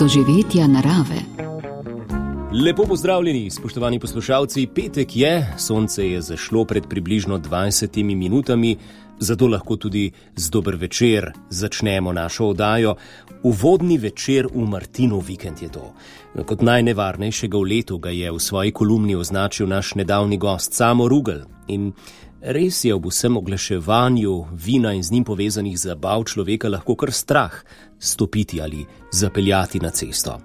doživetja narave. Lepo pozdravljeni, spoštovani poslušalci. Petek je, sonce je zašlo pred približno 20 minutami, zato lahko tudi z dober večer začnemo našo oddajo. Uvodni večer v Martinov vikend je to. Kot najnevarnejšega v letu ga je v svoji kolumni označil naš nedavni gost Samo Rugel. In res je ob vsem oglaševanju vina in z njim povezanih zabav človeka lahko kar strah stopiti ali zapeljati na cesto.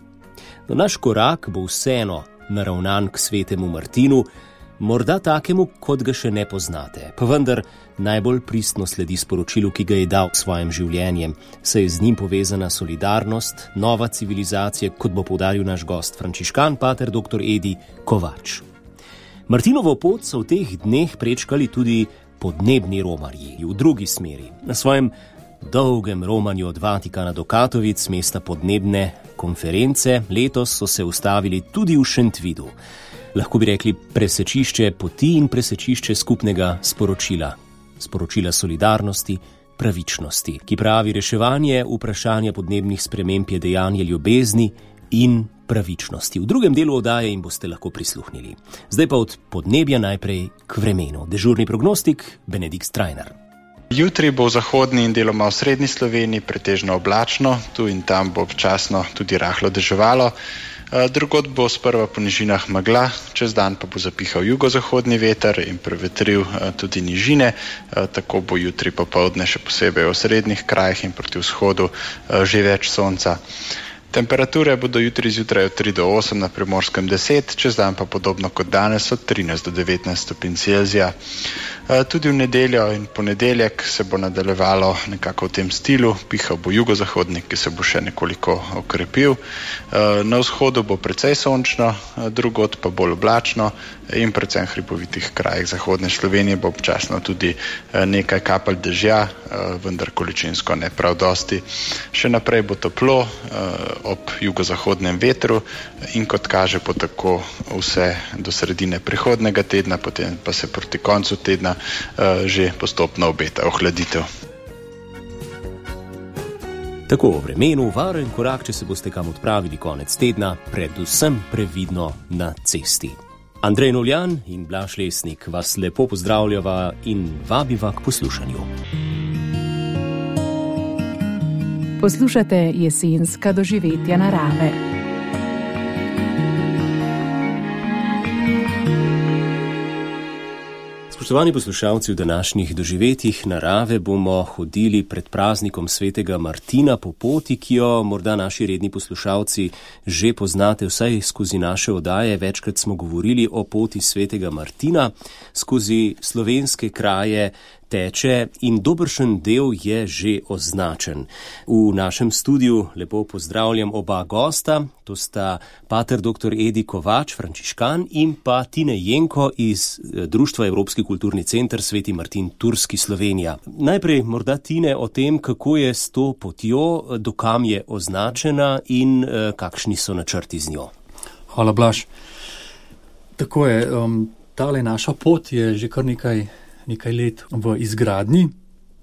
No, naš korak bo vseeno naravnan k svetemu Martinu, morda takemu, kot ga še ne poznate, pa vendar najbolj pristno sledi sporočilu, ki ga je dal svojim življenjem, saj je z njim povezana solidarnost, nova civilizacija, kot bo poudaril naš gost frančiškan pater dr. Edi Kovač. Martinovo pot so v teh dneh prečkali tudi podnebni romarji v drugi smeri. Na svojem dolgem romanju od Vatikana do Katovic, mesta podnebne konference, letos so se ustavili tudi v Šentvidu. Lahko bi rekli presečišče poti in presečišče skupnega sporočila. Sporočila solidarnosti, pravičnosti, ki pravi reševanje vprašanja podnebnih sprememb je dejanje ljubezni in pravičnosti. V drugem delu oddaje jim boste lahko prisluhnili. Zdaj pa od podnebja najprej k vremenu. Dežurni prognostik Benedikt Strajnar. Jutri bo v zahodni in deloma v srednji Sloveniji pretežno oblačno, tu in tam bo občasno tudi rahlo deževalo. Drugod bo sprva po nižinah megla, čez dan pa bo zapihal jugozahodni veter in prevetril tudi nižine, tako bo jutri popoldne še posebej v srednjih krajih in proti vzhodu že več sonca. Temperature bodo jutri zjutraj od 3 do 8, na Primorskem 10, čez dan pa podobno kot danes od 13 do 19 stopinj Celzija. Tudi v nedeljo in ponedeljek se bo nadaljevalo nekako v tem stilu, pihal bo jugozahodnik, ki se bo še nekoliko okrepil. Na vzhodu bo precej sončno, drugod pa bolj oblačno in predvsem v hribovitih krajih zahodne Slovenije bo občasno tudi nekaj kapelj dežja, vendar količinsko ne prav dosti. Še naprej bo toplo ob jugozahodnem vetru in kot kaže bo tako vse do sredine prihodnega tedna, potem pa se proti koncu tedna že postopno obeta ohladitev. Tako o vremenu, varen korak, če se boste kam odpravili konec tedna, predvsem previdno na cesti. Andrej Novljan in Blaž Lesnik vas lepo pozdravljava in vabiva k poslušanju. Poslušate jesenska doživetja narave. Spoštovani poslušalci, v današnjih doživetjih narave bomo hodili pred praznikom svetega Martina po poti, ki jo morda naši redni poslušalci že poznate vsaj skozi naše oddaje. Večkrat smo govorili o poti svetega Martina, skozi slovenske kraje teče in dobršen del je že označen. V našem studiu lepo pozdravljam oba gosta, to sta pater dr. Edi Kovač, frančiškan, in pa Tine Jenko iz Društva Evropski kulturni center Sveti Martin Turski, Slovenija. Najprej morda Tine o tem, kako je s to potjo, dokam je označena in kakšni so načrti z njo. Hvala, Blaž. Tako je, tale naša pot je že kar nekaj let v izgradnji.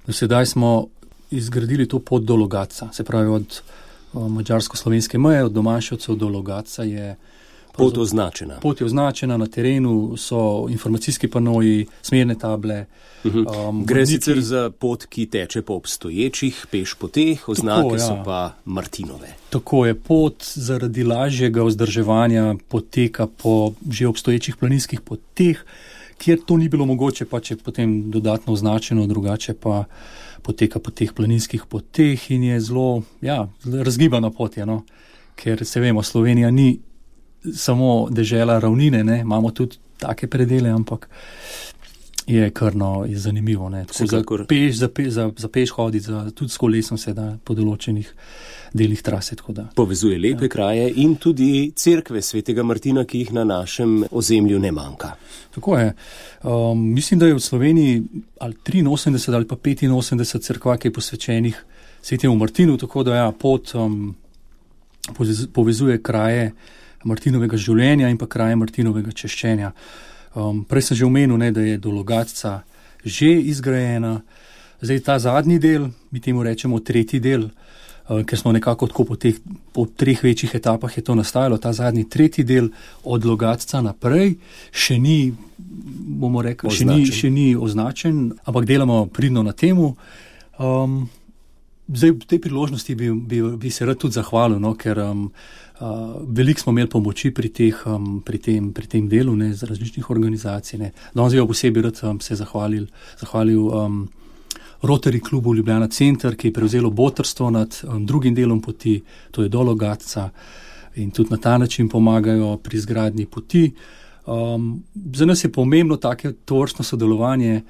Do sedaj smo izgradili to pot do Logatca, se pravi od madžarsko-slovenske meje, od Domaševcev do Logatca je pot označena. Pot je označena, na terenu so informacijski panoji, smerne table. Gre sicer za pot, ki teče po obstoječih pešpoteh, oznake so pa Martinove. Tako je, pot zaradi lažjega vzdrževanja poteka po že obstoječih planinskih poteh, kjer to ni bilo mogoče, pa če potem dodatno označeno, drugače pa poteka po teh planinskih poteh in je zelo razgibana pot je, no? Ker se vemo, Slovenija ni samo dežela ravnine, ne? Imamo tudi take predele, ampak je krno, je zanimivo. Ne? Za peš hoditi, tudi s kolesom se da po določenih delih trase. Povezuje lepe kraje in tudi cerkve svetega Martina, ki jih na našem ozemlju ne manjka. Tako je. Mislim, da je v Sloveniji ali 83 ali pa 85 cerkva, ki je posvečenih svetemu Martinu, tako da pot povezuje kraje Martinovega življenja in pa kraje Martinovega češčenja. Prej sem že omenil, da je do Logatca že izgrajena. Zdaj ta zadnji del, mi temu rečemo tretji del, ker smo nekako tako po 3 večjih etapah je to nastajalo. Ta zadnji 3. del od Logatca naprej še ni, bomo rekli, še ni označen, ampak delamo pridno na temu. Zdaj v tej priložnosti bi se rad tudi zahvalil, no, ker veliko smo imeli pomoči pri tem delu, ne, z različnih organizacij. Ne. Danes bi posebej rad se zahvalil Rotary klubu Ljubljana Center, ki je prevzelo botrstvo nad drugim delom poti, to je do Logatca, in tudi na ta način pomagajo pri izgradnji poti. Za nas je pomembno tovrstno sodelovanje,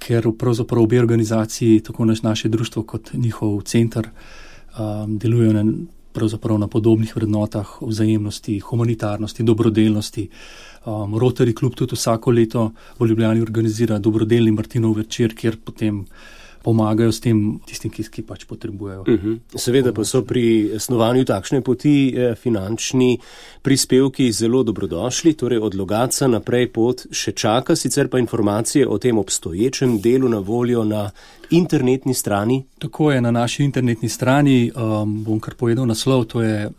ker pravzaprav obe organizaciji, tako naše društvo kot njihov center, delujejo pravzaprav na podobnih vrednotah vzajemnosti, humanitarnosti, dobrodelnosti. Rotary klub tudi vsako leto v Ljubljani organizira dobrodelni Martinov večer, kjer potem pomagajo s tem tistim, ki pač potrebujejo. Seveda pa so pri snovanju takšne poti finančni prispevki zelo dobrodošli, torej od Logatca naprej pot še čaka, sicer pa informacije o tem obstoječem delu na voljo na internetni strani. Tako je, na naši internetni strani, bom kar povedal naslov, to je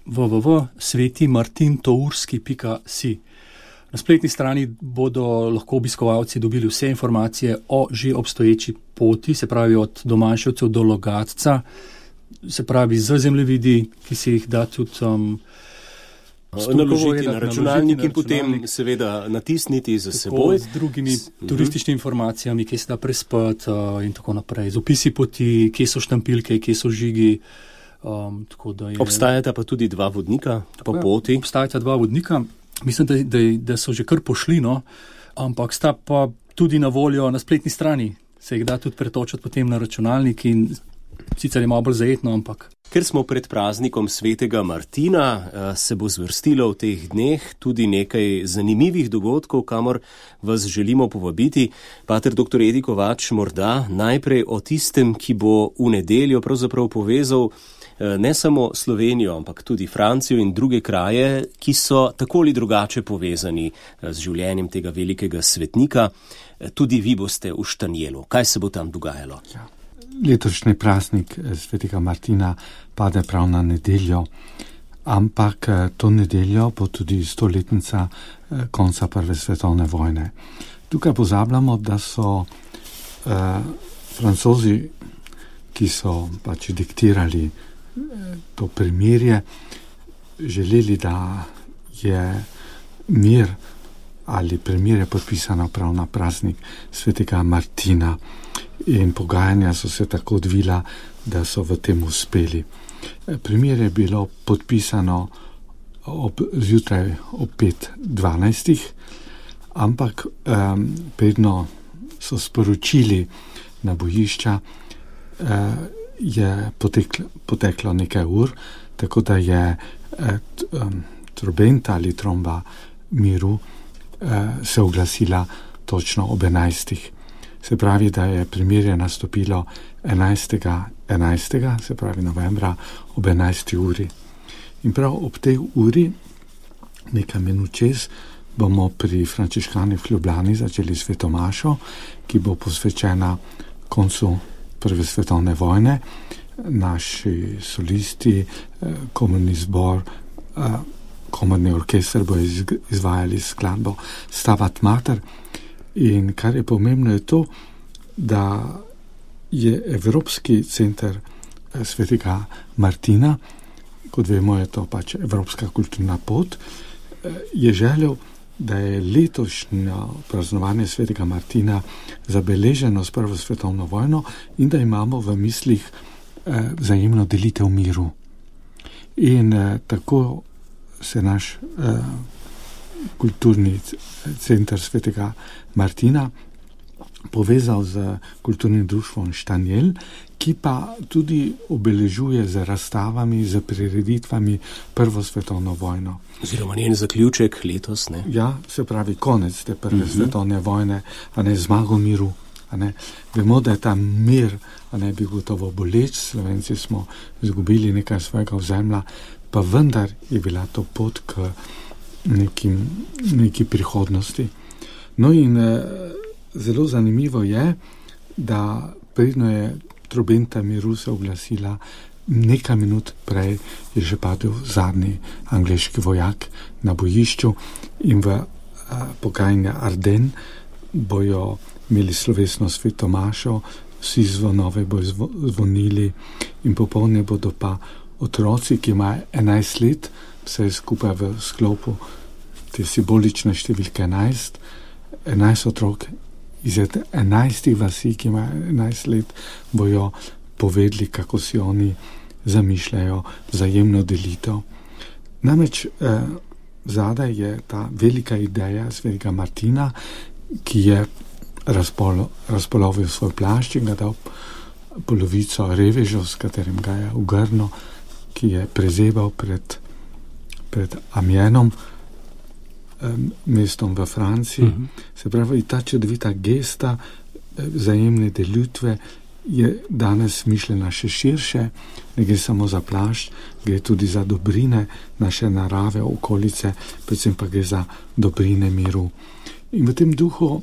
www.svetimartintourski.si. Na spletni strani bodo lahko obiskovalci dobili vse informacije o že obstoječi poti, se pravi od Domaševcev do Logatca, se pravi z zemljevidi, ki se jih da tudi naložiti na računalnik in potem seveda natisniti za seboj. Z drugimi turističnimi informacijami, kje se da prespati in tako naprej. Z opisi poti, kje so štampilke, kje so žigi. Obstajata pa tudi 2 vodnika po poti. Obstajata 2 vodnika. Mislim, da so že kar pošli, no, ampak sta pa tudi na voljo na spletni strani. Se jih da tudi pretočiti potem na računalnik in sicer je malo bolj zajetno, ampak. Ker smo pred praznikom svetega Martina, se bo zvrstilo v teh dneh tudi nekaj zanimivih dogodkov, kamor vas želimo povabiti. Pater dr. Edi Kovač, morda najprej o tistem, ki bo v nedeljo pravzaprav povezal ne samo Slovenijo, ampak tudi Francijo in druge kraje, ki so tako ali drugače povezani z življenjem tega velikega svetnika. Tudi vi boste v Štanjelu. Kaj se bo tam dogajalo? Ja. Letošnji praznik svetega Martina pade prav na nedeljo, ampak to nedeljo bo tudi 100-letnica konca Prve svetovne vojne. Tukaj pozabljamo, da so Francozi, ki so pač diktirali to premirje, želeli, da je mir ali premirje podpisano prav na praznik svetega Martina, in pogajanja so se tako odvila, da so v tem uspeli. Premirje je bilo podpisano zjutraj ob 5:12, ampak predno so sporočili na bojišča, je poteklo nekaj ur, tako da je trobenta ali tromba miru se oglasila točno ob 11. Se pravi, da je premirje nastopilo 11. se pravi novembra ob 11. uri. In prav ob tej uri, nekaj minut čez, bomo pri frančiškanih v Ljubljani začeli svetomašo, ki bo posvečena koncu Prve svetovne vojne. Naši solisti, komorni zbor, komorni orkester bo izvajali skladbo Stabat Mater. In kar je pomembno je to, da je Evropski center svetega Martina, kot vemo je to pač Evropska kulturna pot, je želel, da je letošnje praznovanje svetega Martina zabeleženo s Prvo svetovno vojno in da imamo v mislih vzajemno delitev miru. In tako se naš kulturni center svetega Martina povezal z kulturnim društvom Štanjel, ki pa tudi obeležuje z razstavami, z prireditvami Prvo svetovno vojno. Oziroma njen zaključek letos, ne? Ja, se pravi konec te Prve svetovne vojne, a ne zmago miru. Vemo, da je ta mir, a ne bi gotovo boleč, Slovenci smo izgubili nekaj svojega ozemlja, pa vendar je bila to pot k neki prihodnosti. No in zelo zanimivo je, da predno je trobenta miru se oglasila nekaj minut prej je že padel zadnji angleški vojak na bojišču in v pokrajini Arden bojo imeli slovesno sveto mašo, vsi zvonove bojo zvonili in popoldne bodo pa otroci, ki imajo 11 let, vse skupaj v sklopu te simbolične številke 11 otrok iz 11 vasi, ki imajo 11 let, bojo povedali, kako si oni zamišljajo vzajemno delitev. Namreč zadaj je ta velika ideja svetega Martina, ki je razpolovil svoj plašč in ga dal polovico revežev, s katerim ga je ugrnil, ki je prezebal pred Amienom, mestom v Franciji. Se pravi, ta čudovita gesta vzajemne delitve je danes mišljena še širše, ne gre samo za plašč, gre tudi za dobrine naše narave, okolice, predvsem pa gre za dobrine miru. In v tem duhu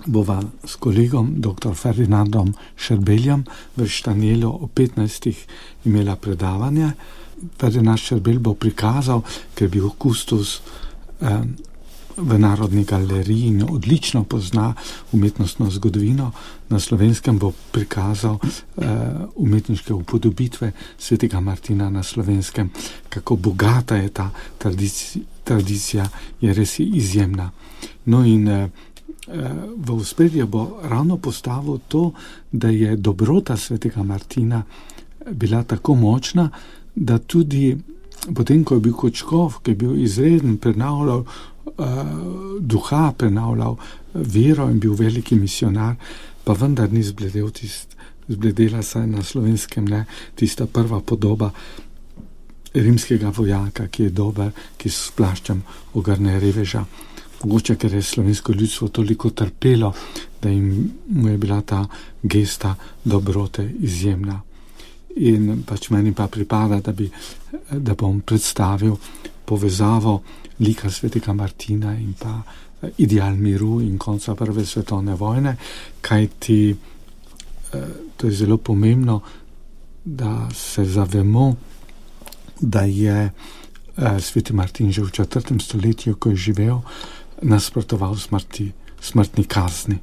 bova s kolegom dr. Ferdinandom Šerbeljem v Štanjelu o 15. imela predavanje. Ferdinand Šerbelj bo prikazal, ker je bil kustos v Narodni galeriji in odlično pozna umetnostno zgodovino. Na Slovenskem bo prikazal umetniške upodobitve svetega Martina na Slovenskem, kako bogata je ta tradicija, je res izjemna. No in v ospredje bo ravno postavil to, da je dobrota svetega Martina bila tako močna, da tudi potem, ko je bil kot škof, ko je bil izreden, prenavljal duha, prenavljal vero in bil veliki misionar, pa vendar ni zbledela saj na Slovenskem, ne, tista prva podoba rimskega vojaka, ki je dober, ki s plaščem ogrne reveža. Mogoče, ker je slovensko ljudstvo toliko trpelo, da mu je bila ta gesta dobrote izjemna. In pač meni pa pripada, da bom predstavil povezavo lika svetega Martina in pa ideal miru in konca prve svetovne vojne, kajti to je zelo pomembno, da se zavemo, da je sveti Martin že v 4. stoletju, ko je živel, nasprotoval smrtni kazni.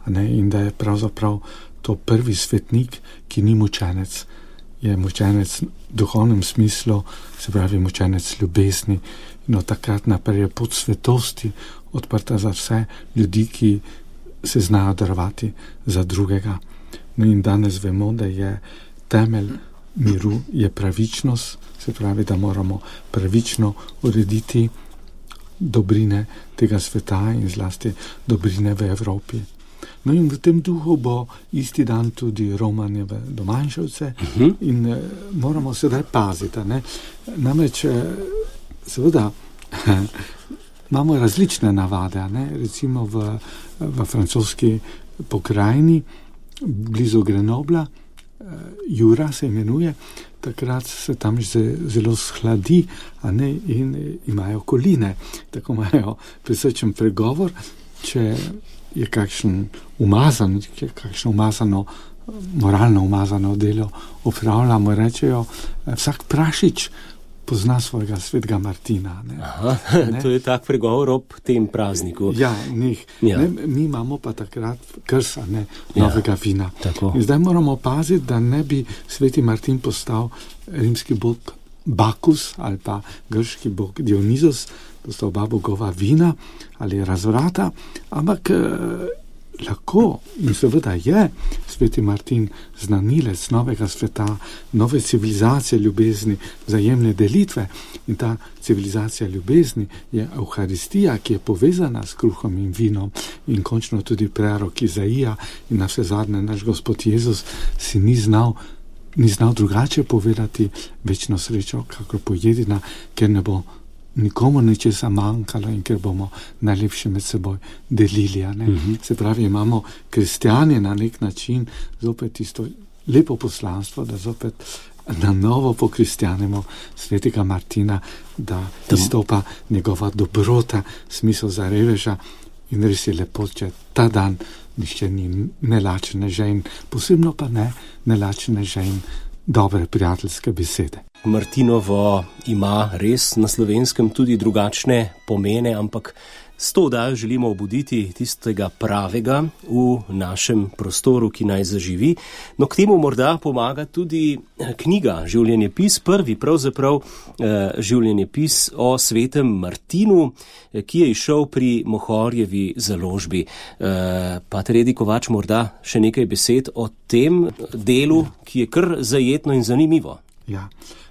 In da je pravzaprav to prvi svetnik, ki ni mučenec, je mučenec v duhovnem smislu, se pravi mučenec ljubezni. In od takrat naprej je pot svetosti odprta za vse ljudi, ki se znajo darovati za drugega. No in danes vemo, da je temelj miru je pravičnost, se pravi, da moramo pravično urediti dobrine tega sveta in zlasti dobrine v Evropi. No in v tem duhu bo isti dan tudi romanje v Domanjševce in moramo sedaj paziti. Ne? Namreč seveda imamo različne navade, ne? Recimo v francoski pokrajini blizu Grenobla, Jura se imenuje, takrat se tam zelo shladi, in imajo koline, tako imajo prisrčen pregovor, če je kakšno umazano, moralno umazano delo opravljamo, rečejo, vsak prašič pozna svojega svetega Martina. Ne? Aha, ne? To je tak pregovor ob tem prazniku. Ja, mi imamo pa takrat krsa, novega vina. Tako. In zdaj moramo paziti, da ne bi sveti Martin postal rimski bog Bakus ali pa grški bog Dionizos, to sta oba bogova vina ali razvrata, ampak lahko in seveda je sveti Martin znanilec novega sveta, nove civilizacije ljubezni, vzajemne delitve, in ta civilizacija ljubezni je Evharistija, ki je povezana s kruhom in vinom, in končno tudi prerok Izaija in na vse zadnje naš Gospod Jezus si ni znal drugače povedati večno srečo, kakor pojedina, ker ne bo nikomu ničesa manjkalo in ker bomo najlepše med seboj delili. Se pravi, imamo kristjani na nek način zopet isto lepo poslanstvo, da zopet na novo pokristjanimo svetega Martina, da izstopa njegova dobrota, smisel za reveža, in res je lepo, če ta dan nišče ni nelačne žen, posebno pa ne nelačne žen dobre prijateljske besede. Martinovo ima res na Slovenskem tudi drugačne pomene, ampak s to oddajo želimo obuditi tistega pravega v našem prostoru, ki naj zaživi. No, k temu morda pomaga tudi knjiga Življenjepis, prvi pravzaprav življenjepis o svetem Martinu, ki je izšel pri Mohorjevi založbi. Pater Edi Kovač, morda še nekaj besed o tem delu, ki je kar zajetno in zanimivo. Ja.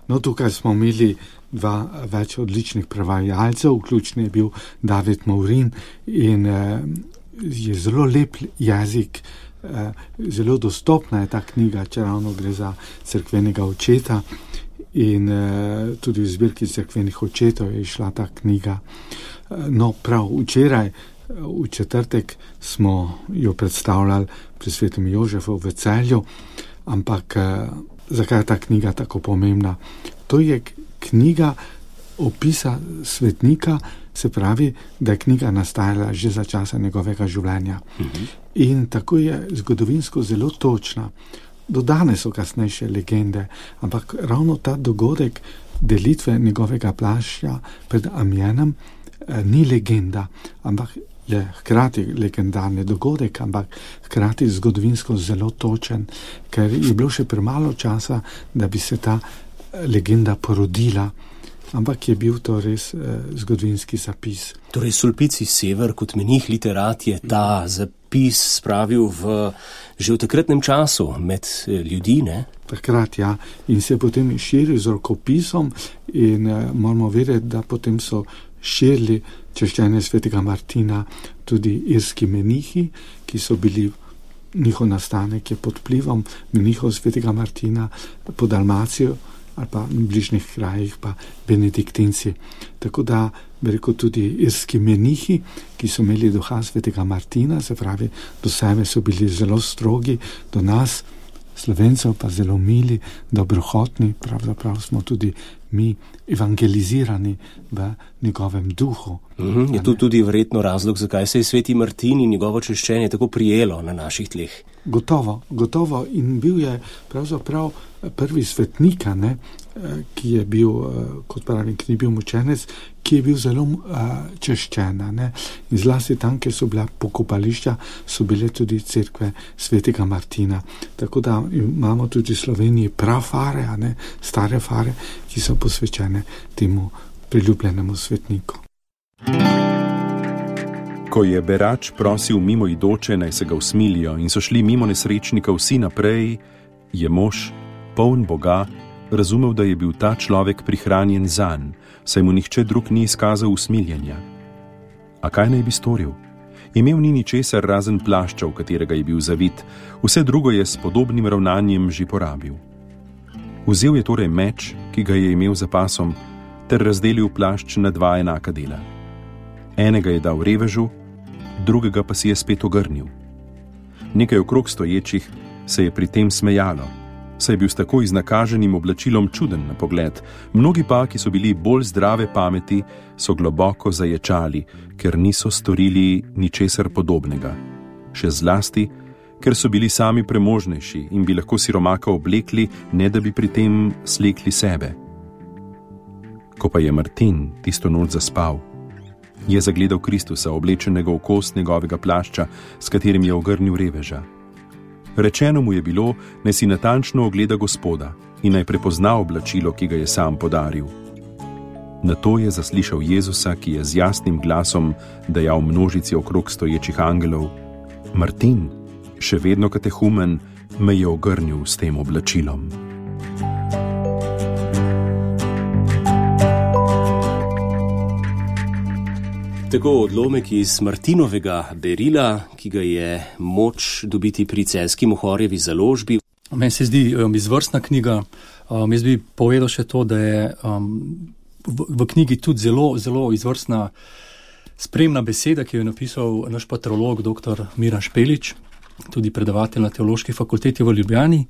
No, tukaj smo imeli več odličnih prevajalcev, vključen je bil David Maurin in je zelo lep jezik, zelo dostopna je ta knjiga, če ravno gre za cerkvenega očeta in tudi v zbirki cerkvenih očetov je išla ta knjiga. No, prav včeraj, v četrtek, smo jo predstavljali pri svetem Jožefu v Celju, ampak zakaj je ta knjiga tako pomembna? To je knjiga opisa svetnika, se pravi, da je knjiga nastajala že za časa njegovega življenja. In tako je zgodovinsko zelo točna. Do danes so kasnejše legende, ampak ravno ta dogodek delitve njegovega plašča pred Amjenom ni legenda, ampak je hkrati legendarni dogodek, ampak hkrati zgodovinsko zelo točen, ker je bilo še premalo časa, da bi se ta legenda porodila, ampak je bil to res zgodovinski zapis. Torej, Sulpici Sever kot menih literat je ta zapis spravil že v takratnem času med ljudi, ne? Takrat, ja. In se je potem širil z rokopisom in moramo vedeti, da potem so širili češčenje svetega Martina tudi irski menihi, ki so bili, njihov nastanek je pod vplivom menihov svetega Martina po Dalmacijo ali pa v bližnjih krajih pa benediktinci. Tako da, bi rekel, tudi irski menihi, ki so imeli duha svetega Martina, se pravi, do sebe so bili zelo strogi, do nas, Slovencev, pa zelo mili, dobrohotni, pravzaprav smo tudi mi evangelizirani v njegovem duhu. Je tu tudi verjetno razlog, zakaj se je sveti Martin in njegovo češčenje tako prijelo na naših tleh? Gotovo. In bil je pravzaprav prvi svetnik, ki je bil, kot pravim, ki ni bil mučenec, ki je bil zelo češčen. In zlasti tam, kjer so bila pokopališča, so bile tudi cerkve svetega Martina. Tako da imamo tudi v Sloveniji prafare, stare fare, ki so posvečene temu priljubljenemu svetniku. Ko je berač prosil mimoidoče, naj se ga usmilijo in so šli mimo nesrečnika vsi naprej, je mož, poln Boga, razumel, da je bil ta človek prihranjen zanj, saj mu nihče drug ni izkazal usmiljenja. A kaj naj bi storil? Imel ni ničesar razen plašča, v katerega je bil zavit, vse drugo je s podobnim ravnanjem že porabil. Vzel je torej meč, ki ga je imel za pasom, ter razdelil plašč na dva enaka dela. Enega je dal revežu, drugega pa si je spet ogrnil. Nekaj okrog stoječih se je pri tem smejalo, saj je bil s tako iznakaženim oblačilom čuden na pogled. Mnogi pa, ki so bili bolj zdrave pameti, so globoko zaječali, ker niso storili ničesar podobnega. Še zlasti, ker so bili sami premožnejši in bi lahko siromaka oblekli, ne da bi pri tem slekli sebe. Ko pa je Martin tisto noč zaspal, je zagledal Kristusa, oblečenega v kost njegovega plašča, s katerim je ogrnil reveža. Rečeno mu je bilo, naj si natančno ogleda Gospoda in naj prepozna oblačilo, ki ga je sam podaril. Nato je zaslišal Jezusa, ki je z jasnim glasom dejal množici okrog stoječih angelov: Martin, še vedno katehumen, me je ogrnil s tem oblačilom. Tako odlomek iz Martinovega berila, ki ga je moč dobiti pri celjski Mohorjevi založbi. Meni se zdi izvrstna knjiga. Jaz bi povedal še to, da je v knjigi tudi zelo, zelo izvrstna spremna beseda, ki jo je napisal naš patrolog dr. Miran Špelič, tudi predavatelj na Teološki fakulteti v Ljubljani.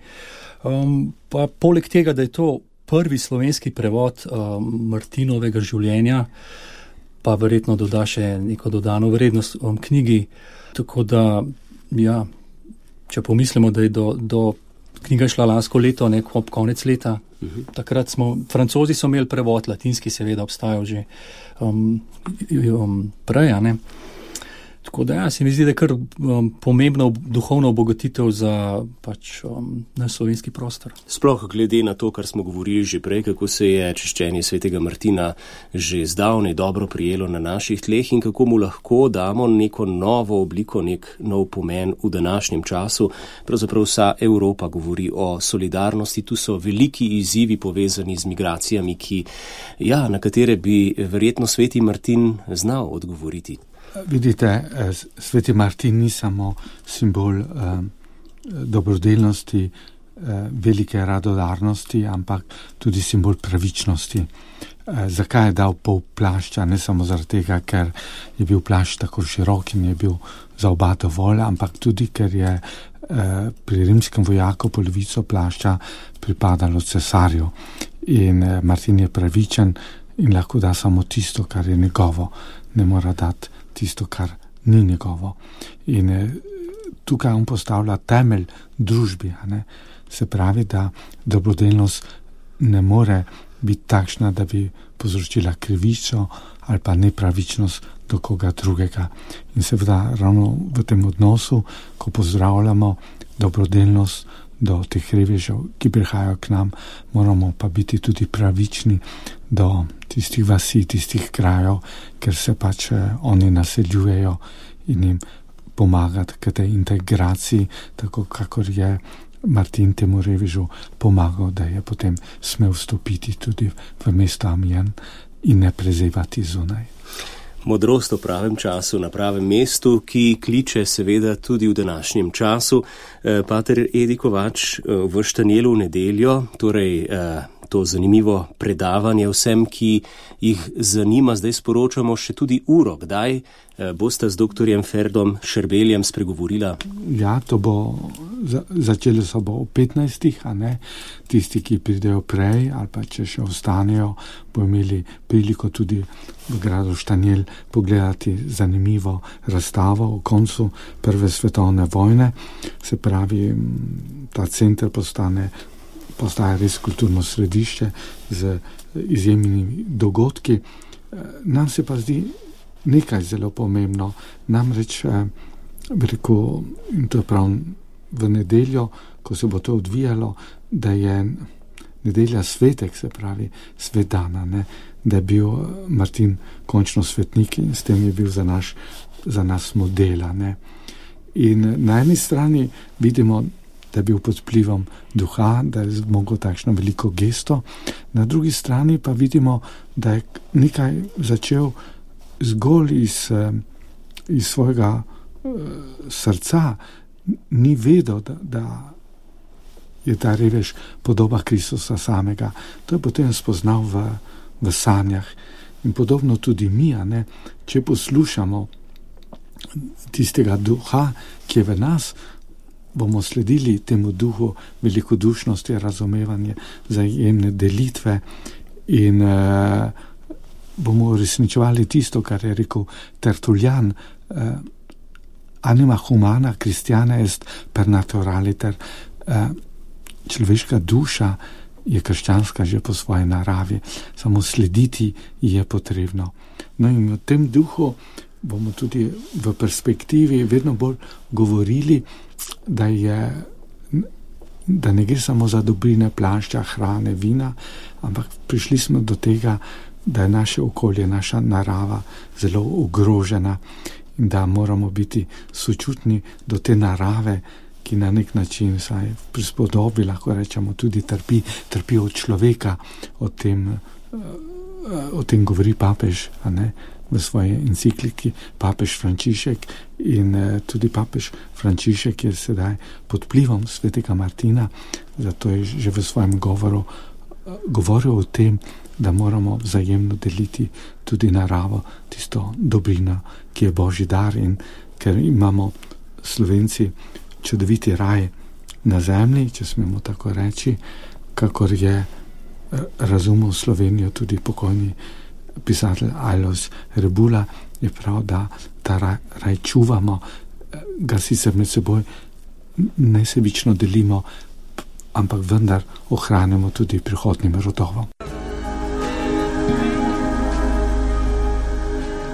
Pa poleg tega, da je to prvi slovenski prevod Martinovega življenja, pa verjetno doda še neko dodano vrednost knjigi. Tako da, ja, če pomislimo, da je do knjiga je šla lansko leto, ob konec leta. Takrat Francozi so imeli prevod, latinski seveda obstajal že prej, ne. Tako da se mi zdi, da je kar pomembna duhovna obogatitev za naš slovenski prostor. Sploh glede na to, kar smo govorili že prej, kako se je čiščenje svetega Martina že zdavnaj dobro prijelo na naših tleh in kako mu lahko damo neko novo obliko, nek nov pomen v današnjem času. Pravzaprav vsa Evropa govori o solidarnosti, tu so veliki izzivi povezani z migracijami, na katere bi verjetno sveti Martin znal odgovoriti. Vidite, sveti Martin ni samo simbol dobrodelnosti, velike radodarnosti, ampak tudi simbol pravičnosti. Zakaj je dal pol plašča? Ne samo zaradi tega, ker je bil plašč tako širok in je bil za oba dovolj, ampak tudi, ker je pri rimskem vojaku polovico plašča pripadalo cesarju. In Martin je pravičen in lahko da samo tisto, kar je njegovo. Ne mora dati tisto, kar ni njegovo. In tukaj on postavlja temelj družbi. Se pravi, da dobrodelnost ne more biti takšna, da bi povzročila krivico ali pa nepravičnost do koga drugega. In seveda ravno v tem odnosu, ko pozdravljamo dobrodelnost do teh revežev, ki prihajajo k nam, moramo pa biti tudi pravični do tistih vasi, tistih krajev, ker se oni naseljujejo in jim pomagati k tej integraciji, tako kakor je Martin temu revežu pomagal, da je potem smel vstopiti tudi v mesto Amiens in ne prezevati zunaj. Modrost v pravem času, na pravem mestu, ki kliče seveda tudi v današnjem času. Pater Edi Kovač, v Štanjelu v nedeljo, torej to zanimivo predavanje vsem, ki jih zanima, zdaj sporočamo še tudi uro. Kdaj boste z doktorjem Ferdom Šerbeljem spregovorila? Ja, to bo, začelo se bo o 15, a ne? Tisti, ki pridejo prej ali pa če še ostanejo, bo imeli priliko tudi v gradu Štanjel pogledati zanimivo razstavo o koncu Prve svetovne vojne. Se pravi, ta center postaja res kulturno središče z izjemnimi dogodki. Nam se pa zdi nekaj zelo pomembno, namreč in to je prav v nedeljo, ko se bo to odvijalo, da je nedelja svetek, se pravi svet dana, ne? Da je bil Martin končno svetnik in s tem je bil za nas modela. Ne? In na eni strani vidimo, da je bil pod vplivom duha, da je zmogel takšno veliko gesto, na drugi strani pa vidimo, da je nekaj začel zgolj iz svojega srca, ni vedel, da je ta revež podoba Kristusa samega. To je potem spoznal v sanjah. In podobno tudi mi, ne? Če poslušamo tistega duha, ki je v nas, bomo sledili temu duhu velikodušnosti, razumevanje, vzajemne delitve in bomo uresničevali tisto, kar je rekel Tertullian, anima humana Christiana est per naturaliter, človeška duša je krščanska že po svoji naravi, samo slediti je potrebno. No in v tem duhu bomo tudi v perspektivi vedno bolj govorili, da ne gre samo za dobrine plašča, hrane, vina, ampak prišli smo do tega, da je naše okolje, naša narava zelo ogrožena in da moramo biti sočutni do te narave, ki na nek način saj prispodobi, lahko rečemo, tudi trpi od človeka. O tem govori papež, a ne, v svoji encikliki papež Frančišek in tudi papež Frančišek je sedaj pod vplivom svetega Martina, zato je že v svojem govoru govoril o tem, da moramo vzajemno deliti tudi naravo, tisto dobrino, ki je Božji dar in ker imamo Slovenci čudoviti raj na zemlji, če smemo tako reči, kakor je razumel Slovenijo tudi pokojni pisatelj Alojz Rebula, je prav, da ta raj čuvamo, ga sicer med seboj nesebično delimo, ampak vendar ohranimo tudi prihodnim rodovom.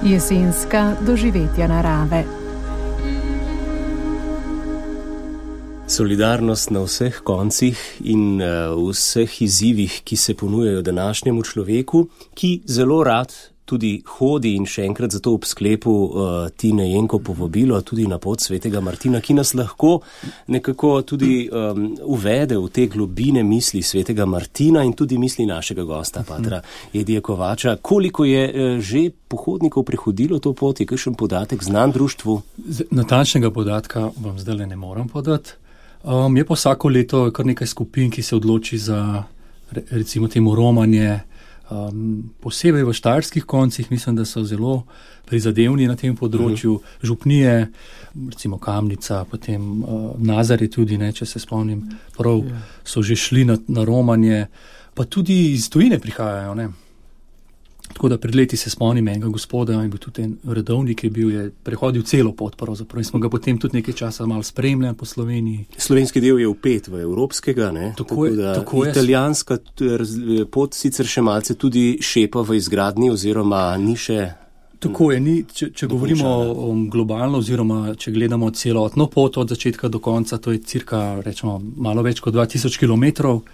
Jesenska doživetja narave. Solidarnost na vseh koncih in vseh izzivih, ki se ponujajo današnjemu človeku, ki zelo rad tudi hodi in še enkrat zato ob sklepu Tine Jenko povabilo tudi na pot svetega Martina, ki nas lahko nekako tudi uvede v te globine misli svetega Martina in tudi misli našega gosta, patra Edija Kovača. Koliko je že pohodnikov prehodilo to pot? Je kakšen podatek znan društvu? Natančnega podatka vam zdaj ne moram podati. Je pa vsako leto kar nekaj skupin, ki se odloči za recimo temu romanje, posebej v štajerskih koncih, mislim, da so zelo prizadevni na tem področju, župnije, recimo Kamnica, potem Nazare tudi, ne, če se spomnim, prav so že šli na romanje, pa tudi iz tujine prihajajo, ne. Tako da pred leti se spomnim enega gospoda, in bil tudi en redovnik, je prehodil celo pot pravzaprav in smo ga potem tudi nekaj časa malo spremljali po Sloveniji. Slovenski del je vpet v evropskega, ne? Tako je. Italijanska pot sicer še malce tudi šepa v izgradnji oziroma ni še... Tako je, če govorimo globalno oziroma če gledamo celotno pot od začetka do konca, to je cirka, rečemo, malo več kot 2000 kilometrov.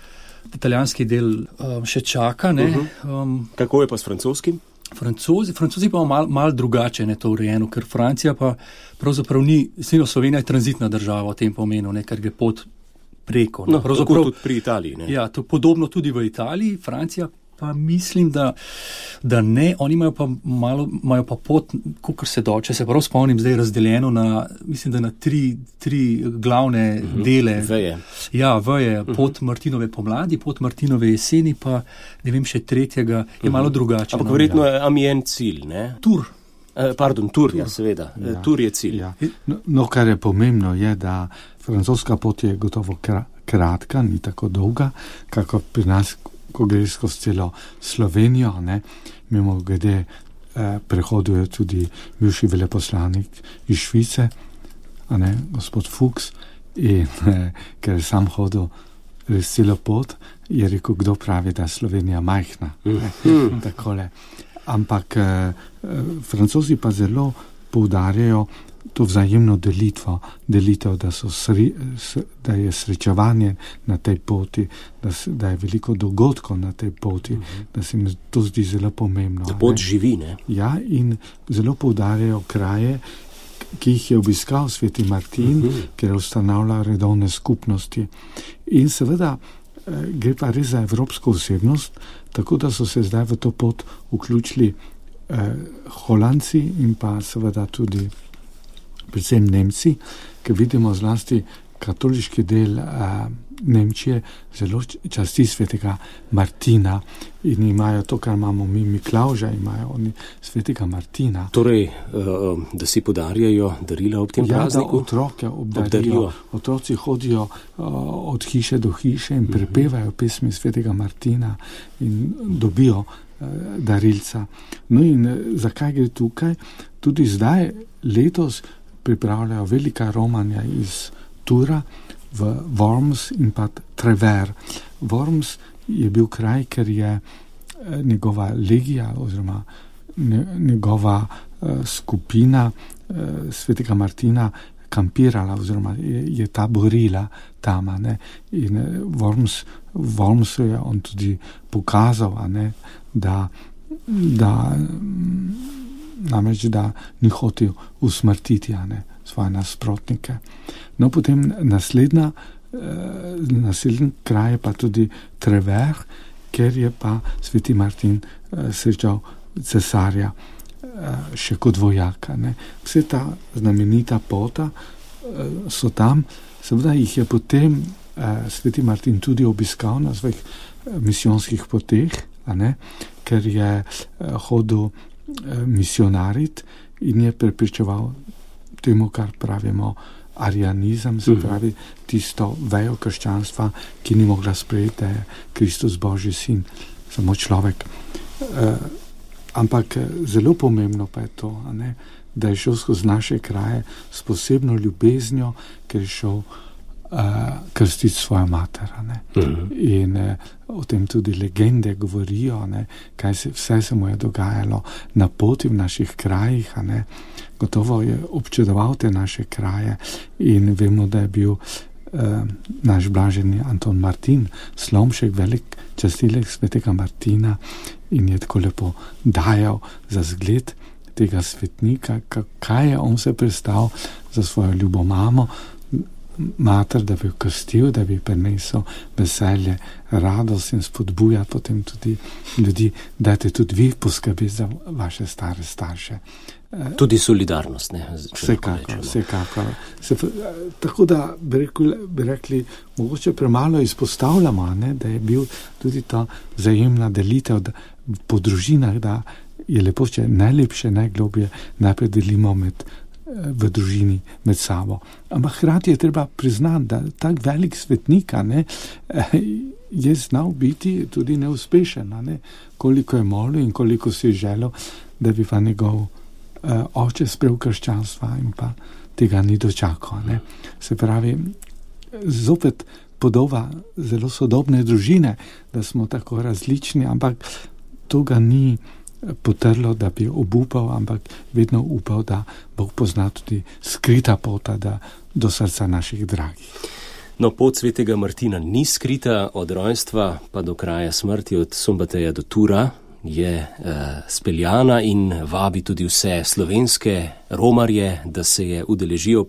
Italijanski del še čaka, ne. Kako je pa s francoskim? Francozi pa malo drugače, ne, to urejeno, ker Francija pa pravzaprav ni, Slovenija je tranzitna država v tem pomenu, ne, ker gre pot preko. Ne. No, tako tudi pri Italiji, ne. Ja, to podobno tudi v Italiji, Francija pa mislim, da ne, oni imajo pa pot, kakor se da, če se prav spomnim, zdaj razdeljeno na, mislim, da na tri glavne dele. Veje. Ja, veje, pot Martinove pomladi, pot Martinove jeseni, pa ne vem, še tretjega je malo drugače. Ampak verjetno je Amiens cilj, ne? Tur, ja, seveda. Ja. Tur je cilj. Ja. No, kar je pomembno je, da francoska pot je gotovo kratka, ni tako dolga, kako pri nas, ko gre skozi celo Slovenijo, ne, mimo glede prehoduje tudi bivši veleposlanik iz Švice, ne, gospod Fuchs, in ker je sam hodil res celo pot, je rekel, kdo pravi, da je Slovenija majhna. Takole. Ampak Francozi pa zelo poudarjajo to vzajemno delitev, da je srečevanje na tej poti, da je veliko dogodkov na tej poti, da se mi to zdi zelo pomembno. Da pot živi, ne? Ja, in zelo poudarjajo kraje, ki jih je obiskal sveti Martin, ker ustanavlja redovne skupnosti. In seveda gre pa res za evropsko osebnost, tako da so se zdaj v to pot vključili Holandci in pa seveda tudi predvsem Nemci, ker vidimo zlasti katoliški del Nemčije zelo časti svetega Martina in imajo to, kar imamo mi Miklavža, imajo oni svetega Martina. Torej, da si podarjajo darila ob tem prazniku? Ja, da otroke obdarijo. Otroci hodijo od hiše do hiše in prepevajo pesmi svetega Martina in dobijo darilca. No in zakaj gre tukaj? Tudi zdaj, letos, pripravljajo velika romanja iz Tura v Worms in pa Trever. Worms je bil kraj, ker je njegova legija oziroma njegova skupina svetega Martina kampirala oziroma je taborila tam, ne. In Wormsu je on tudi pokazal, ne, da namreč, da ni hotel usmrtiti, ne, svoje nasprotnike. No, potem naslednji kraj je pa tudi Trever, ker je pa sveti Martin srečal cesarja še kot vojaka, ne. Vse ta znamenita pota so tam, seveda jih je potem sveti Martin tudi obiskal na svojih misijonskih poteh, ne, ker je hodil misionarit in je prepričeval temu, kar pravimo arianizem, se pravi tisto vejo krščanstva, ki ni mogla sprejeti, da je Kristus Božji sin, samo človek. Ampak zelo pomembno pa je to, ne, da je šel skozi naše kraje s posebno ljubeznijo, ker je šel krstiti svojo mater. In o tem tudi legende govorijo, kaj vse se mu je dogajalo na poti v naših krajih. Gotovo je občudoval te naše kraje in vemo, da je bil naš blaženi Anton Martin Slomšek, velik častilec svetega Martina, in je tako lepo dajal za zgled tega svetnika, kaj je on se prestal za svojo ljubo mamo, mater, da bi jo krstil, da bi prinesel veselje, radost in spodbuja potem tudi ljudi, dajte tudi vi poskrbeti za vaše stare starše. Tudi solidarnost, ne? Vsekakor. Tako da bi rekli, mogoče premalo izpostavljamo, da je bil tudi ta vzajemna delitev po družinah, da je lepo, če najlepše, najglobje najprej delimo v družini med sabo. Ampak hkrati je treba priznati, da tak velik svetnik je znal biti tudi neuspešen. Koliko je molil in koliko si je želel, da bi pa njegov oče sprejel krščanstva in pa tega ni dočakal. Se pravi, zopet podoba zelo sodobne družine, da smo tako različni, ampak to ga ni potrlo, da bi obupal, ampak vedno upal, da Bog pozna tudi skrita pota do srca naših dragih. No, pot svetega Martina ni skrita, od rojstva pa do kraja smrti, od Sombateja do Tura je speljana in vabi tudi vse slovenske romarje, da se je udeležijo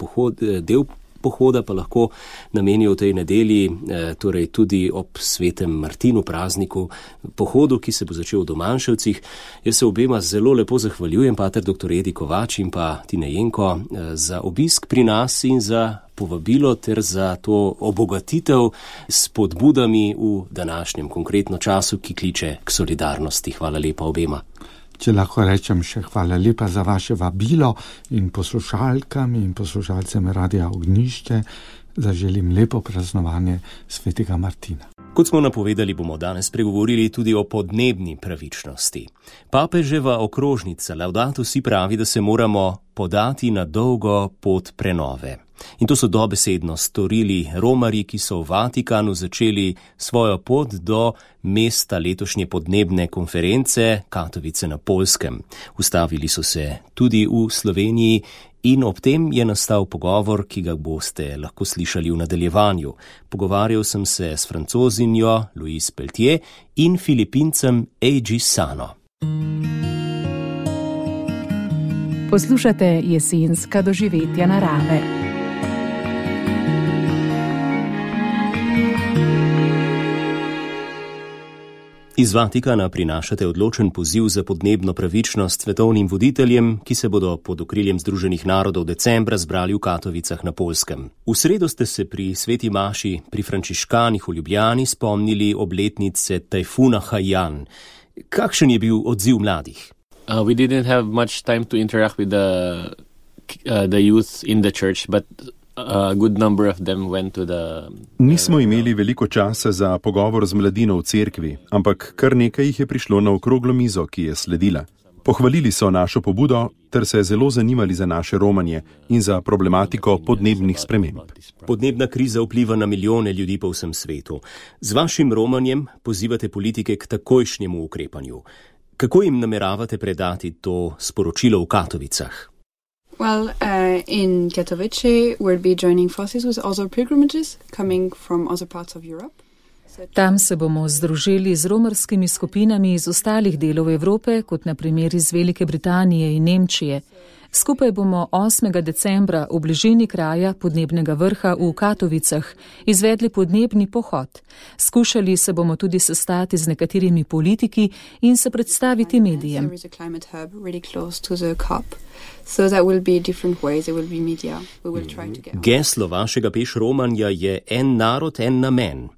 del pohoda pa lahko namenijo v tej nedelji, torej tudi ob svetem Martinu prazniku, pohodu, ki se bo začel v Domanševcih. Jaz se obema zelo lepo zahvaljujem, pater dr. Edi Kovač in pa Tine Jenko, za obisk pri nas in za povabilo ter za to obogatitev s spodbudami v današnjem konkretno času, ki kliče k solidarnosti. Hvala lepa obema. Če lahko rečem še hvala lepa za vaše vabilo in poslušalkam in poslušalcem Radia Ognjišče zaželim lepo praznovanje svetega Martina. Kot smo napovedali, bomo danes pregovorili tudi o podnebni pravičnosti. Papeževa okrožnica Laudato Si pravi, da se moramo podati na dolgo pot prenove. In to so dobesedno storili romarji, ki so v Vatikanu začeli svojo pot do mesta letošnje podnebne konference Katovice na Poljskem. Ustavili so se tudi v Sloveniji in ob tem je nastal pogovor, ki ga boste lahko slišali v nadaljevanju. Pogovarjal sem se s Francozinjo Louise Peltier in Filipincem Eiji Sano. Poslušate jesenska doživetja narave. Iz Vatikana prinašate odločen poziv za podnebno pravičnost svetovnim voditeljem, ki se bodo pod okriljem Združenih narodov decembra zbrali v Katovicah na Poljskem. V sredo ste se pri sveti maši pri frančiškanih v Ljubljani spomnili obletnice tajfuna Haiyan. Kakšen je bil odziv mladih? We didn't have much time to interact with the youth in the church, but a good number of them went to the... Nismo imeli veliko časa za pogovor z mladino v cerkvi, ampak kar nekaj jih je prišlo na okroglo mizo, ki je sledila. Pohvalili so našo pobudo ter se zelo zanimali za naše romanje in za problematiko podnebnih sprememb. Podnebna kriza vpliva na milijone ljudi po vsem svetu. Z vašim romanjem pozivate politike k takojšnjemu ukrepanju. Kako jim nameravate predati to sporočilo v Katovicah? Well, in Katowice we'll be joining forces with other pilgrimages coming from other parts of Europe. Tam se bomo združili z romarskimi skupinami iz ostalih delov Evrope, kot na primer iz Velike Britanije in Nemčije. Skupaj bomo 8. decembra v bližini kraja podnebnega vrha v Katovicah izvedli podnebni pohod. Skušali se bomo tudi sestati z nekaterimi politiki in se predstaviti medijem. Geslo vašega pešromanja je en narod, en namen.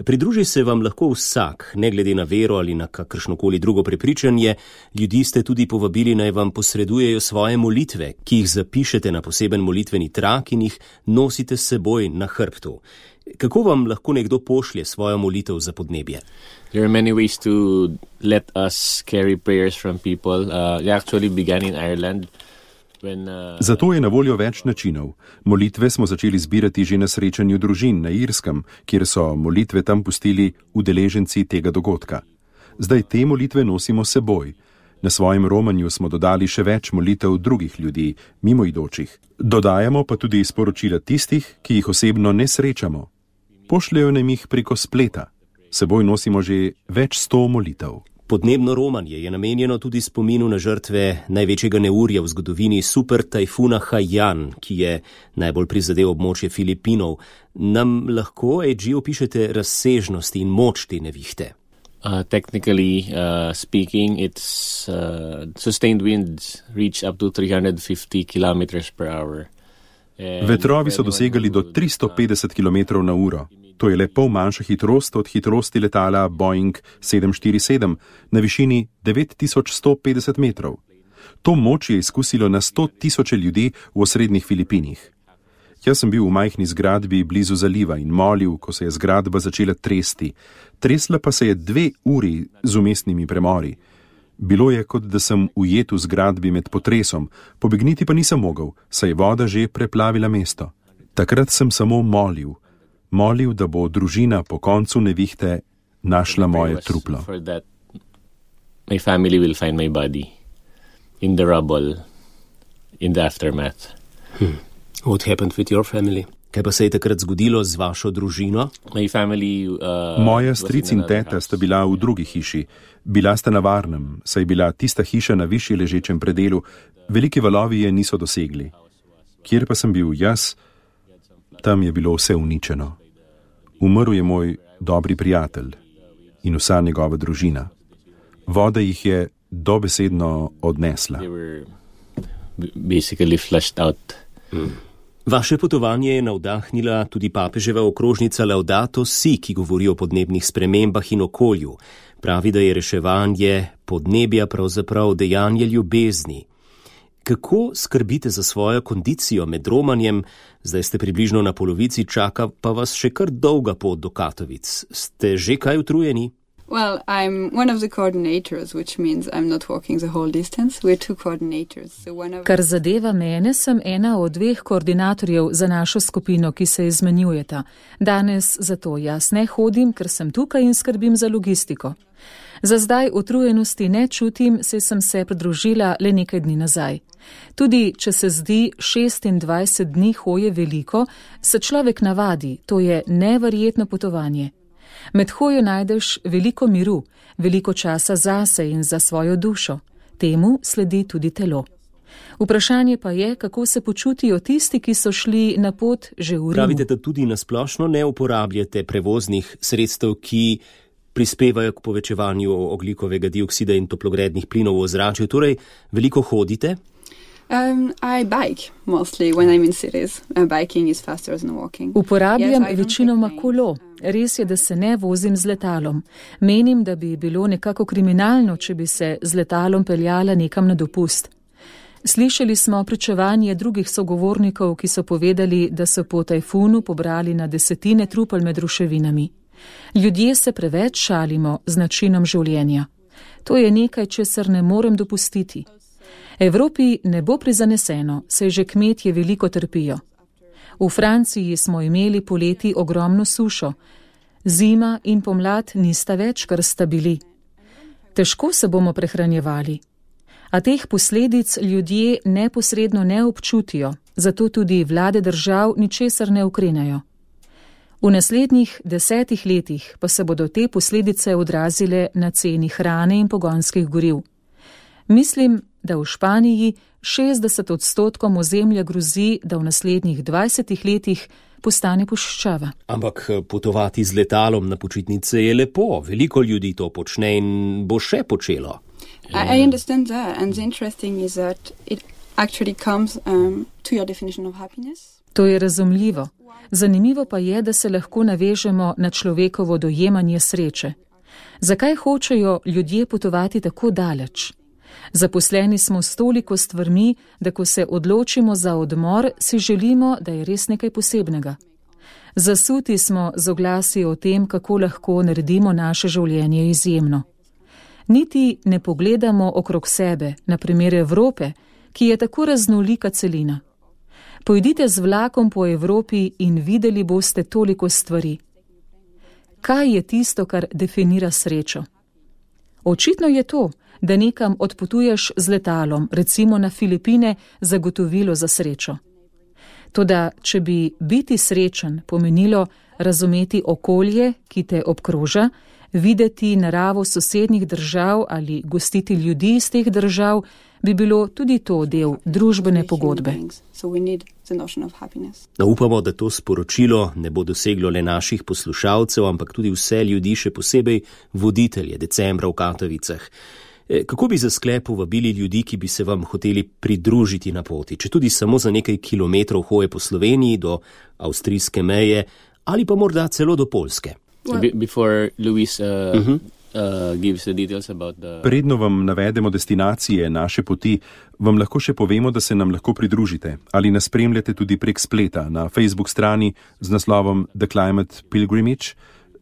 Pridruži se vam lahko vsak, ne glede na vero ali na kakršnokoli drugo prepričanje. Ljudi ste tudi povabili, naj vam posredujejo svoje molitve, ki jih zapišete na poseben molitveni trak in jih nosite s seboj na hrbtu. Kako vam lahko nekdo pošlje svojo molitev za podnebje? There are many ways to let us carry prayers from people. They actually began in Ireland. Zato je na voljo več načinov. Molitve smo začeli zbirati že na srečanju družin na Irskem, kjer so molitve tam pustili udeleženci tega dogodka. Zdaj te molitve nosimo s seboj. Na svojem romanju smo dodali še več molitev drugih ljudi, mimoidočih. Dodajamo pa tudi sporočila tistih, ki jih osebno ne srečamo. Pošljejo nam jih preko spleta. S seboj nosimo že več 100 molitev. Podnebno romanje je namenjeno tudi spominu na žrtve največjega neurja v zgodovini super tajfuna Haiyan, ki je najbolj prizadel območje Filipinov. Nam lahko, AG, opišete razsežnosti in moč te nevihte? Technically speaking, its sustained winds reach up to 350 kilometers per hour. Vetrovi so dosegali do 350 km na uro. To je le pol manjša hitrost od hitrosti letala Boeing 747 na višini 9150 metrov. To moč je izkusilo na 100.000 ljudi v osrednjih Filipinih. Jaz sem bil v majhni zgradbi blizu zaliva in molil, ko se je zgradba začela tresti. Tresla pa se je 2 uri z umestnimi premori. Bilo je, kot da sem ujet v zgradbi med potresom, pobegniti pa nisem mogel, saj je voda že preplavila mesto. Takrat sem samo molil, da bo družina po koncu nevihte našla moje truplo. My family will find my body in the rubble, in the aftermath. What happened with your family? Kaj pa se je takrat zgodilo z vašo družino? Moja stric in teta sta bila v drugi hiši. Bila sta na varnem, saj je bila tista hiša na višji ležečem predelu, veliki valovi je niso dosegli. Kjer pa sem bil jaz, tam je bilo vse uničeno. Umrl je moj dobri prijatelj in vsa njegova družina. Voda jih je dobesedno odnesla. Vaše potovanje je navdahnila tudi papeževa okrožnica Laudato Si, ki govori o podnebnih spremembah in okolju. Pravi, da je reševanje podnebja pravzaprav dejanje ljubezni. Kako skrbite za svojo kondicijo med romanjem? Zdaj ste približno na polovici, čaka pa vas še kar dolga pot do Katovic. Ste že kaj utrujeni? Well, I'm one of the coordinators, which means I'm not walking the whole distance. We're 2 coordinators. Kar zadeva mene, sem ena od 2 koordinatorjev za našo skupino, ki se izmenjujeta. Danes zato jaz ne hodim, ker sem tukaj in skrbim za logistiko. Za zdaj utrujenosti ne čutim, saj sem se pridružila le nekaj dni nazaj. Tudi, če se zdi 26 dni hoje veliko, se človek navadi, to je neverjetno potovanje. Med hojo najdeš veliko miru, veliko časa zase in za svojo dušo. Temu sledi tudi telo. Vprašanje pa je, kako se počutijo tisti, ki so šli na pot že v Rimu. Pravite, da tudi nasplošno ne uporabljate prevoznih sredstev, ki prispevajo k povečevanju ogljikovega dioksida in toplogrednih plinov v ozračju. Torej, veliko hodite? I bike mostly when I'm in cities. Biking is faster than walking. Uporabljam večinoma kolo. Res je, da se ne vozim z letalom. Menim, da bi bilo nekako kriminalno, če bi se z letalom peljala nekam na dopust. Slišali smo pričevanje drugih sogovornikov, ki so povedali, da so po tajfunu pobrali na desetine trupel med ruševinami. Ljudje se preveč šalimo z načinom življenja. To je nekaj, česar ne morem dopustiti. Evropi ne bo prizaneseno, saj že kmetje veliko trpijo. V Franciji smo imeli poleti ogromno sušo. Zima in pomlad nista več, kar sta bili. Težko se bomo prehranjevali. A teh posledic ljudje neposredno ne občutijo, zato tudi vlade držav ničesar ne ukrenejo. V naslednjih 10 letih pa se bodo te posledice odrazile na ceni hrane in pogonskih goriv. Mislim, da v Španiji 60% ozemlja grozi, da v naslednjih 20 letih postane puščava. Ampak potovati z letalom na počitnice je lepo. Veliko ljudi to počne in bo še počelo. I understand that, and the interesting is that it actually comes to your definition of happiness. To je razumljivo. Zanimivo pa je, da se lahko navežemo na človekovo dojemanje sreče. Zakaj hočejo ljudje potovati tako daleč? Zaposleni smo s toliko stvarmi, da ko se odločimo za odmor, si želimo, da je res nekaj posebnega. Zasuti smo z oglasi o tem, kako lahko naredimo naše življenje izjemno. Niti ne pogledamo okrog sebe, na primer Evrope, ki je tako raznolika celina. Pojdite z vlakom po Evropi in videli boste toliko stvari. Kaj je tisto, kar definira srečo? Očitno je to, da nekam odpotuješ z letalom, recimo na Filipine, zagotovilo za srečo. Toda, če bi biti srečen pomenilo razumeti okolje, ki te obkroža, videti naravo sosednjih držav ali gostiti ljudi iz teh držav, bi bilo tudi to del družbene pogodbe. Upamo, da to sporočilo ne bo doseglo le naših poslušalcev, ampak tudi vse ljudi, še posebej voditelje decembra v Katovicah. Kako bi za sklep povabili ljudi, ki bi se vam hoteli pridružiti na poti, če tudi samo za nekaj kilometrov hoje po Sloveniji do avstrijske meje ali pa morda celo do Poljske? Predno vam navedemo destinacije naše poti, vam lahko še povemo, da se nam lahko pridružite ali nas spremljate tudi prek spleta na Facebook strani z naslovom The Climate Pilgrimage.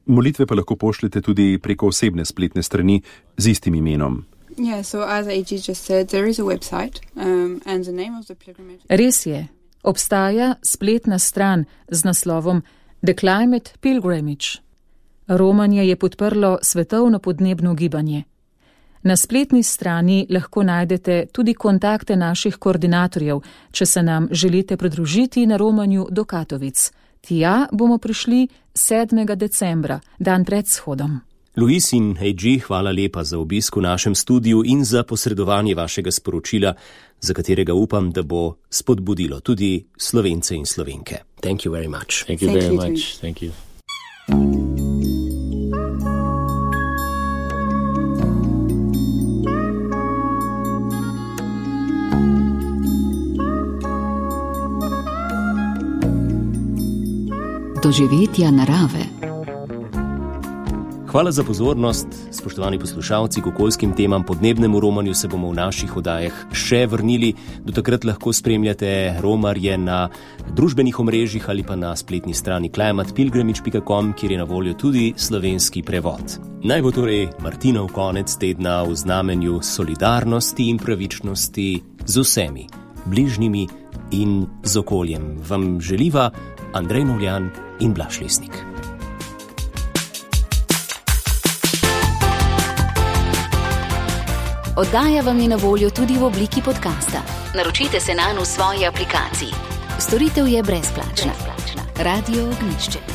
Molitve pa lahko pošljete tudi preko osebne spletne strani z istim imenom. Res je, obstaja spletna stran z naslovom The Climate Pilgrimage. Romanje je podprlo svetovno podnebno gibanje. Na spletni strani lahko najdete tudi kontakte naših koordinatorjev, če se nam želite pridružiti na romanju do Katovic. Tja bomo prišli 7. decembra, dan pred shodom. Luis in Heiji, hvala lepa za obisk v našem studiu in za posredovanje vašega sporočila, za katerega upam, da bo spodbudilo tudi Slovence in Slovenke. Thank you very much. Thank you very much. Thank you. Doživetja narave. Hvala za pozornost, spoštovani poslušalci. K okoljskim temam, podnebnemu romanju se bomo v naših oddajah še vrnili. Do takrat lahko spremljate romarje na družbenih omrežjih ali pa na spletni strani climatepilgrimage.com, kjer je na voljo tudi slovenski prevod. Naj bo torej Martinov konec tedna v znamenju solidarnosti in pravičnosti z vsemi, bližnjimi in z okoljem. Vam želiva Andrej Novljan in Blaž Lesnik. Oddaja vam je na voljo tudi v obliki podcasta. Naročite se nanj v svoji aplikaciji. Storitev je brezplačna. Radio Ognjišče.